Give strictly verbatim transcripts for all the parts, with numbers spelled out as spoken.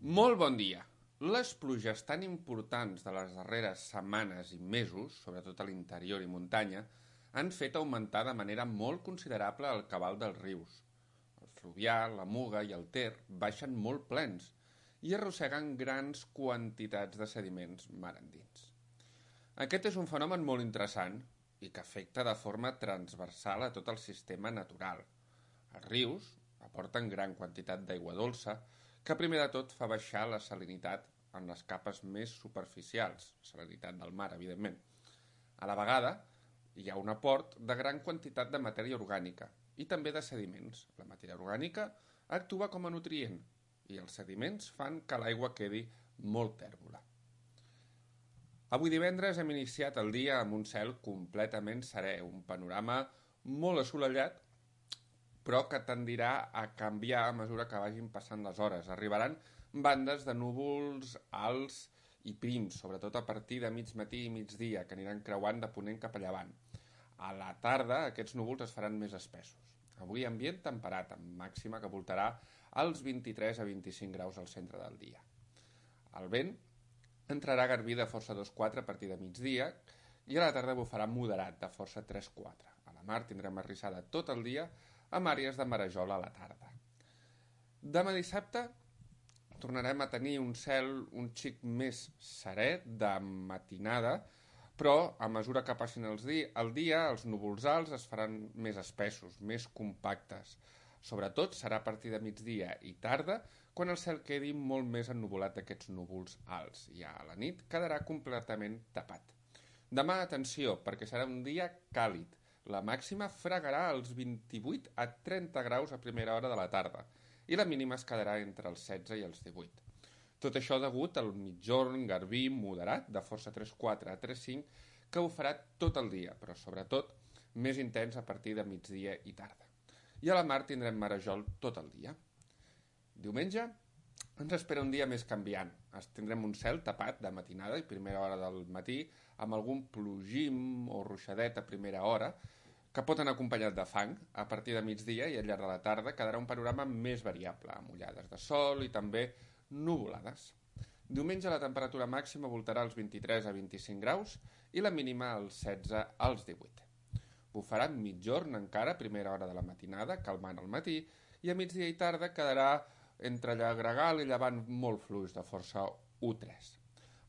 Molt bon dia. Les pluges tan importants de les darreres setmanes i mesos, sobretot a l'interior i muntanya, han fet augmentar de manera molt considerable el cabal dels rius. El Fluvià, la Muga i el Ter baixen molt plens i arrosseguen grans quantitats de sediments mar endins. Aquest és un fenomen molt interessant i que afecta de forma transversal a tot el sistema natural. Els rius aporten gran quantitat d'aigua dolça que primer de tot fa baixar la salinitat en les capes més superficials, salinitat del mar, evidentment. A la vegada, hi ha un aport de gran quantitat de matèria orgànica i també de sediments. La matèria orgànica actua com a nutrient i els sediments fan que l'aigua quedi molt tèrbola. Avui divendres hem iniciat el dia amb un cel completament serè, un panorama molt assolellat, però que tendirà a canviar a mesura que vagin passant les hores. Arribaran bandes de núvols alts i prims, sobretot a partir de mig matí i migdia, que aniran creuant de ponent cap a llevant. A la tarda aquests núvols es faran més espessos. Avui ambient temperat, amb màxima que voltarà als vint-i-tres a vint-i-cinc graus al centre del dia. El vent entrarà garbí de força dos quatre a partir de migdia i a la tarda bufarà moderat de força tres quatre. A la mar tindrem arrissada tot el dia amb àrees de marejol a la tarda. Demà dissabte tornarem a tenir un cel un xic més serè de matinada, però a mesura que passin els di el dia els núvols alts es faran més espessos, més compactes. Sobretot serà a partir de migdia i tarda quan el cel quedi molt més ennuvolat d'aquests núvols alts. Ja a la nit quedarà completament tapat. Demà, atenció, perquè serà un dia càlid. La màxima fregarà els vint-i-vuit a trenta graus a primera hora de la tarda i la mínima es quedarà entre els setze i els divuit. Tot això degut al mitjorn garbí moderat de força tres quatre a tres cinc que ho farà tot el dia, però sobretot més intens a partir de migdia i tarda. I a la mar tindrem marejol tot el dia. Diumenge ens espera un dia més canviant. Tindrem un cel tapat de matinada i primera hora del matí amb algun plogim o ruixadet a primera hora que pot anar acompanyat de fang. A partir de migdia i al llarg de la tarda quedarà un panorama més variable, amb ullades de sol i també nuvolades. Diumenge la temperatura màxima voltarà als vint-i-tres a vint-i-cinc graus i la mínima als setze als divuit. Bufarà mitjorn encara a primera hora de la matinada, calmant al matí, i a migdia i tarda quedarà entre gregal i llevant molt fluix de força u tres.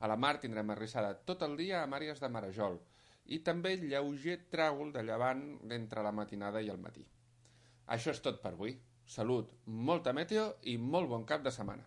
A la mar tindrem arrissada tot el dia amb àrees de marejol i també lleuger tràgol de llevant entre la matinada i el matí. Això és tot per avui. Salut, molta meteo i molt bon cap de setmana.